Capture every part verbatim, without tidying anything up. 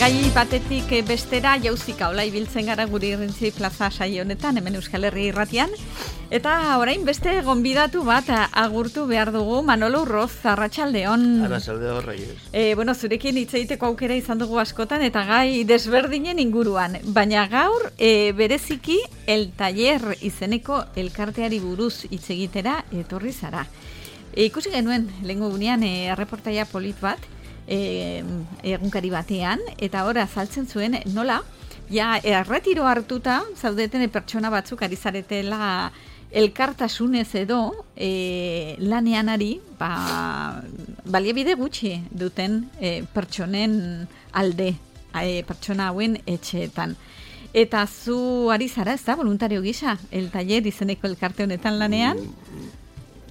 Gai batetik bestera jauzika hola ibiltzen gara guri Irrintzi plaza saio honetan, hemen Euskal Herri irratian. Eta orain beste gonbidatu bat agurtu behar dugu, Manolo Urroz, arratsaldeon. Arratsaldeon, Reyes. E, bueno, zurekin hitz egiteko aukera izan dugu askotan eta gai desberdinen inguruan. Baina gaur e, bereziki El Taller izeneko elkarteari buruz hitz egitera etorri zara. E, ikusi genuen lehengo gunean e, erreportaia polit bat, E, egunkari batean, eta ora azaltzen zuen nola, ja erretiro hartuta zaudeten pertsona batzuk ari zaretela elkartasunez edo e, lanean ari, ba, baliabide gutxi duten e, pertsonen alde, e, pertsona hauen etxeetan. Eta zu ari zara, ez da, voluntario gisa, El Taller izeneko elkarte honetan lanean?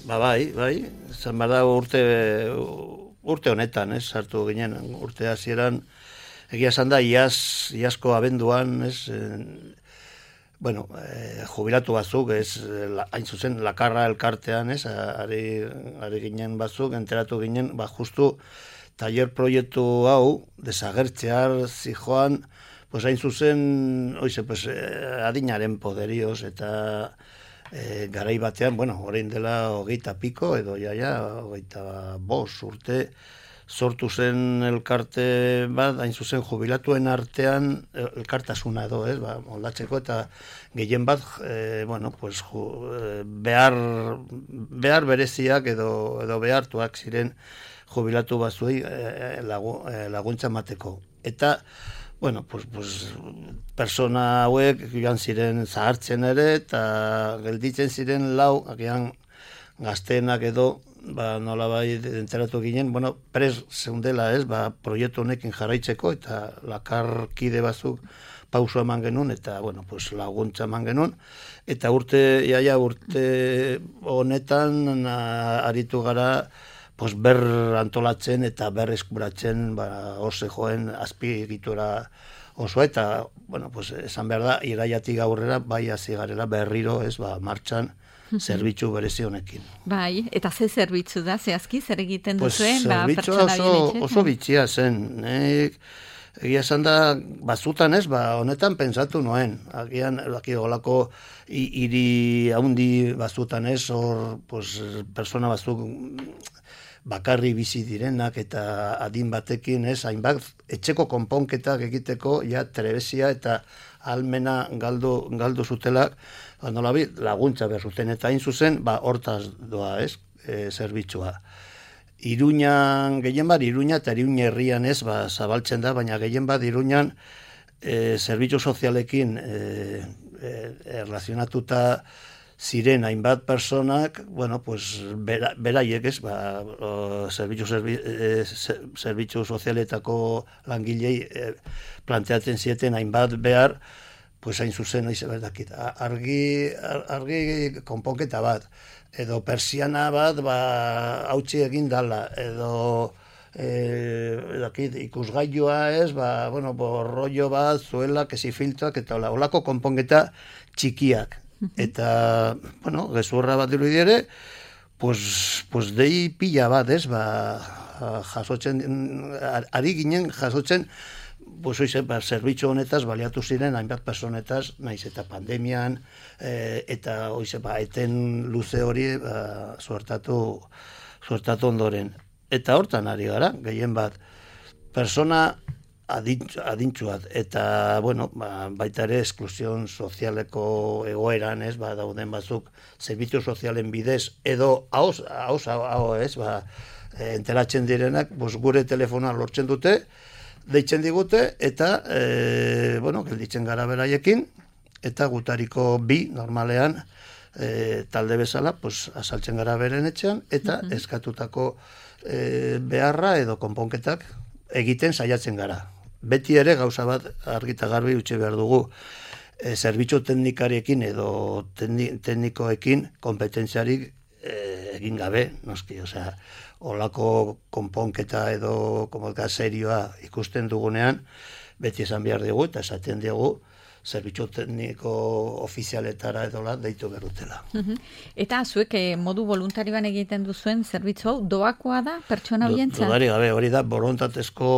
Ba bai, bai, zan bada urte... Urte honetan, ez, hartu ginen, urte hasieran, egia esan da, iaz, iazko abenduan, ez, eh, bueno, eh, jubilatu batzuk, ez, la, hain zuzen, lakarra elkartean, ez, ari, ari ginen batzuk, enteratu ginen, ba, justu, taller proiektu hau, desagertzear zijoan, pues hain zuzen, oize, pues, eh, adinaren poderioz, eta... E, garai batean, bueno, orain dela hogeita piko, edo jaia, hogeita bos urte, sortu zen elkarte bat, hain zuzen jubilatuen artean elkartasuna edo, ez, ba, moldatzeko, eta gehien bat, e, bueno, pues, ju, behar, behar bereziak edo, edo behartuak ziren jubilatu batzuei e, lagu, e, laguntza mateko. Eta, bueno, pues, pues, persona hauek joan ziren zahartzen ere, eta gelditzen ziren lau, agian gazteenak edo, ba, nola bai enteratu ginen, bueno, pres zeundela ez, ba, proiektu honekin jarraitzeko, eta lakarkide batzuk pauso eman genuen, eta, bueno, pues, laguntza eman genuen, eta urte, iaia, urte honetan aritu gara, pues ber antolatzen eta ber eskuratzen, ba, ose joen azpiegitura oso, eta, bueno, pues, esan behar da, iraiatik aurrera, bai hasi garela berriro, ez, ba, martxan, zerbitzu berezi honekin. Bai, eta ze zerbitzu da, zehazki, zer egiten pues, duzuen, ba, pertsona oso, oso bitxia zen, nek, egia esan da, batzutan ez, ba, honetan pentsatu noen, agian, laki olako hiri haundi batzutan ez, hor, pues, persona batzuk, bakarri bizi direnak eta adin batekin, ez, hainbat etxeko konponketak egiteko ja trebezia eta almena galdu, galdu zutelak, ba, nolabi, laguntza behar zuten, eta hain zuzen, ba, hortaz doa, ez, e, zerbitzua. Iruñan, gehien bat, Iruña eta Iruña herrian ez, ba, zabaltzen da, baina gehien bat, Iruñan, e, zerbitzu sozialekin e, e, erlazionatuta ziren hainbat personak, bueno, pues, bera, beraiek ez, ba, zerbitzu, zerbi, e, zerbitzu sozialetako langilei e, planteatzen zieten hainbat behar, pues hain zuzen, noiz berdakit, argi, argi konponketa bat, edo persiana bat, ba, hautsi egin dala, edo e, dakit, ikusgailua ez, ba, bueno, borrollo bat, zuela, kesi filtroak, eta hola, holako konponketa txikiak. Eta, bueno, gezurra bat dirudi ere, pues, pues dei pila bat, ez, ba, jasotzen, ari ginen jasotzen, pues, oize, ba, zerbitzu honetaz baliatu ziren hainbat personetaz, naiz eta pandemian, e, eta, oize, ba, eten luze hori, ba, suertatu, suertatu ondoren. Eta hortan ari gara, gehien bat, persona adintxu bat, eta, bueno, ba, baita ere esklusion sozialeko egoeran, ez, ba, dauden batzuk zerbitzu sozialen bidez, edo hauz, hauz, hauz, ez, ba, enteratzen direnak, bos, gure telefonoa lortzen dute, deitzen digute, eta, e, bueno, gelditzen gara beraiekin, eta gutariko bi, normalean, e, talde bezala, pues, azaltzen gara beren etxean, eta uh-huh. eskatutako e, beharra edo konponketak egiten saiatzen gara. Beti ere gauza bat argita garbi utzi behar dugu, e, zerbitzu teknikariekin edo tekni, teknikoekin kompetentziarik e, egin gabe, noski, osea, olako konponketa edo komoka serioa ikusten dugunean, beti esan behar dugu eta esaten dugu, zerbitzu tekniko ofizialetara edola deitu berutela. Eta zuek modu voluntarioan egiten duzuen zerbitzu hau doakoa da pertsona horientzat? Dudari gabe, hori da borontatezko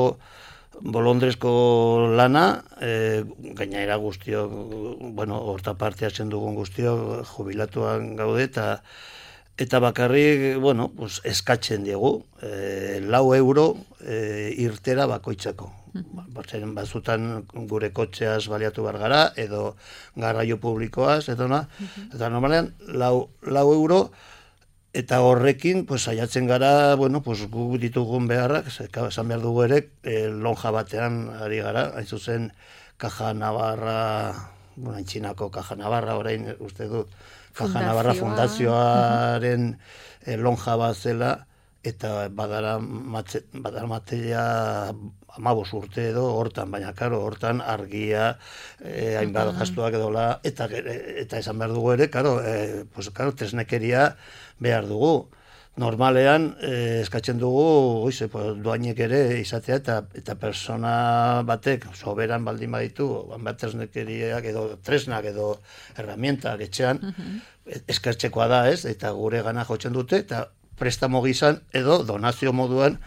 bolondrezko lana, e, gainera guztiok, bueno, horta parte hartzen dugun guztiok jubilatuan gaude, eta eta bakarrik, bueno, pues, eskatzen diegu, e, lau euro e, irtera bakoitzako. Batzen batzutan gure kotxeaz baliatu behar gara, edo garraio publikoaz, edo na, eta normalean lau, lau euro, eta horrekin, pues, saiatzen gara, bueno, pues, gu ditugun beharrak, esan behar dugu ere, e, lonja batean ari gara, hain zuzen, Caja Navarra, bueno, Antxinako Caja Navarra, orain uste dut, Caja Navarra Fundazioaren e, lonja bat zela, eta badara, matze, badara materia amabos urte edo hortan, baina karo, hortan argia, eh, hainbat gastuak edola, eta, eta esan behar dugu ere, karo, eh, pues, karo, tresnekeria behar dugu. Normalean, eh, eskatzen dugu, oize, pues, doainek ere izatea, eta, eta persona batek, soberan baldin baditu, bat tresnekeriak edo tresnak edo herramientak etxean, eskertzekoa da, ez, eta gure gana jotzen dute, eta prestamo gizan edo donazio moduan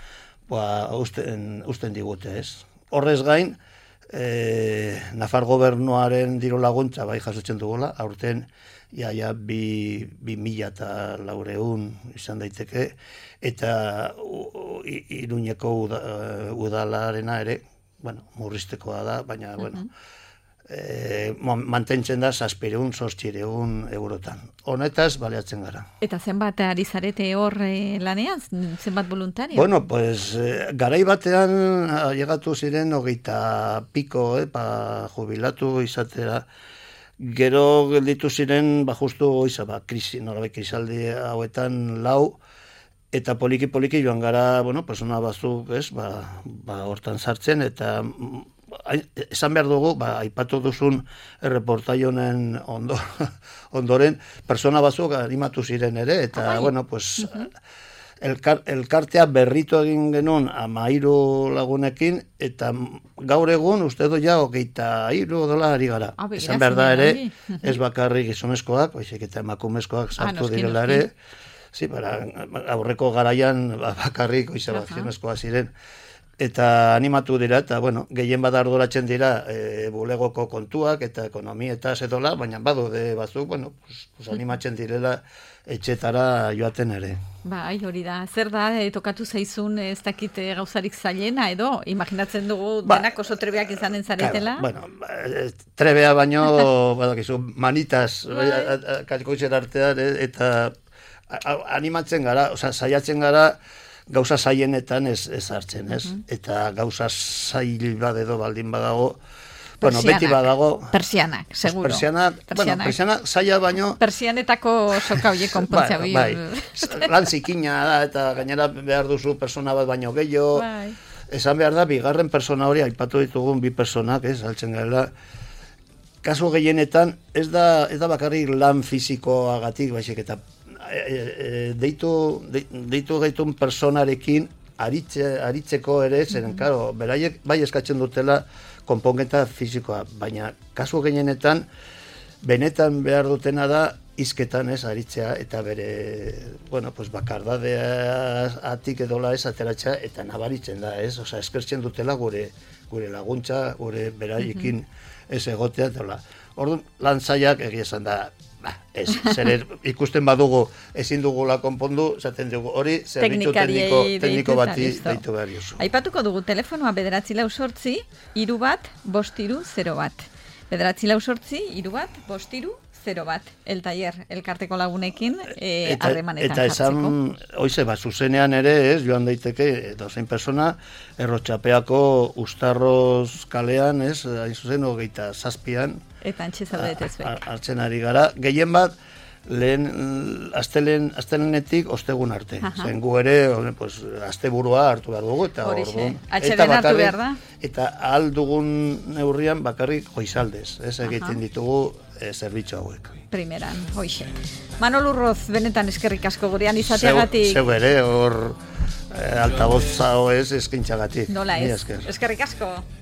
ba, usten, usten digute, ez. Horrez gain, e, Nafar gobernuaren diru laguntza bai jasotzen dugula, aurten iaia bi, bi mila eta laureun izan daiteke, eta Iruñeko uda, udalarena ere, bueno, murriztekoa da, baina, uh-huh. bueno, E, mantentzen da zazpireun, zortzireun eurotan. Honetaz, baliatzen gara. Eta zenbat ari zarete hor e, lanean? Zenbat voluntario? Bueno, pues, e, garai batean llegatu ziren hogeita piko, eh, pa jubilatu izatera. Gero gelditu ziren, ba, justu oiza, ba, krisi, norabek krisaldi hauetan lau, eta poliki-poliki joan gara, bueno, persona batzuk, ez, ba, ba, hortan sartzen, eta esan behar dugu, ba, aipatu duzun erreportai honen ondo, ondoren, persona batzuk animatu ziren ere, eta, Ai. bueno, pues, uh-huh. elkar, elkartea berritu egin genuen amairu lagunekin, eta gaur egun, uste du ja, hogeita iru dola ari gara. Ah, esan behar da ere, ez bakarrik gizonezkoak, baizik eta emakumezkoak sartu ah, direla ere, sí, para, aurreko garaian bakarrik oizabak gizonezkoak ziren, eta animatu dira, eta, bueno, gehien bada arduratzen dira e, bulegoko kontuak eta ekonomietaz edola, baina badude batzuk, bueno, pues, pues animatzen direla etxetara joaten ere. Bai, hori da. Zer da, e, tokatu zaizun ez dakit gauzarik zailena edo, imaginatzen dugu ba, denak oso trebeak izanen zaretela? Claro, bueno, trebea baino, badakizu, manitas, kalkoitzen artean, eta animatzen gara, oza, saiatzen gara, gauza zailenetan ez, ez hartzen, ez? Uh-huh. Eta gauza zail bat edo baldin badago, persianak, bueno, beti badago... Persianak, seguro. Persianak, persianak. Bueno, persianak zaila baino... Persianetako soka hoiek konpontzea. bai, bai. Lan zikina da, eta gainera behar duzu persona bat baino gehiago. Bai. Esan behar da, bigarren persona hori, aipatu ditugun bi personak, ez, altzen gara. Kasu gehienetan, ez da, ez da bakarrik lan fizikoagatik, baizik eta E, e, deitu, de, deitu gaitun personarekin aritze, aritzeko ere, zeren, mm-hmm. karo, beraiek bai eskatzen dutela konponketa fizikoa, baina kasu gehienetan benetan behar dutena da hizketan ez aritzea, eta bere, bueno, pues bakardadea atik edola ez ateratzea, eta nabaritzen da, ez, osea, eskertzen dutela gure, gure laguntza, gure beraiekin mm-hmm. ez egotea, edola. Orduan, lan zailak egia esan da, ba, ez, zer ikusten badugu ezin dugula konpondu, zaten dugu hori, zerbitzu tekniko, tekniko bati deitu behar jozu. Aipatuko dugu telefonoa bederatzi lau sortzi, iru bat, bost iru, zero bat. Bederatzi lau sortzi, iru bat, bost iru, zero bat. El taller, elkarteko lagunekin, harremanetan e, jartzeko. Eta esan, oize, ba, zuzenean ere, ez, joan daiteke, dozein persona, Errotxapeako Ustarroz kalean, ez, hain zuzen, hogeita zazpian, eta antxe zaudetez bek. Hartzen ari gara. Gehien bat, lehen, astelen, astelenetik ostegun arte. Aha. Zen gu ere, pues, asteburua hartu behar dugu. Eta orduan. Atxeden hartu behar da. Eta ahal dugun neurrian bakarrik goizaldez. Ez egiten ditugu e, zerbitzu hauek. Primeran, hoixe. Manol Urroz, benetan eskerrik asko gurean izateagatik. Zeu ere, hor e, altavoz zao ez eskintzagatik. Nola ez. Eskerrik asko.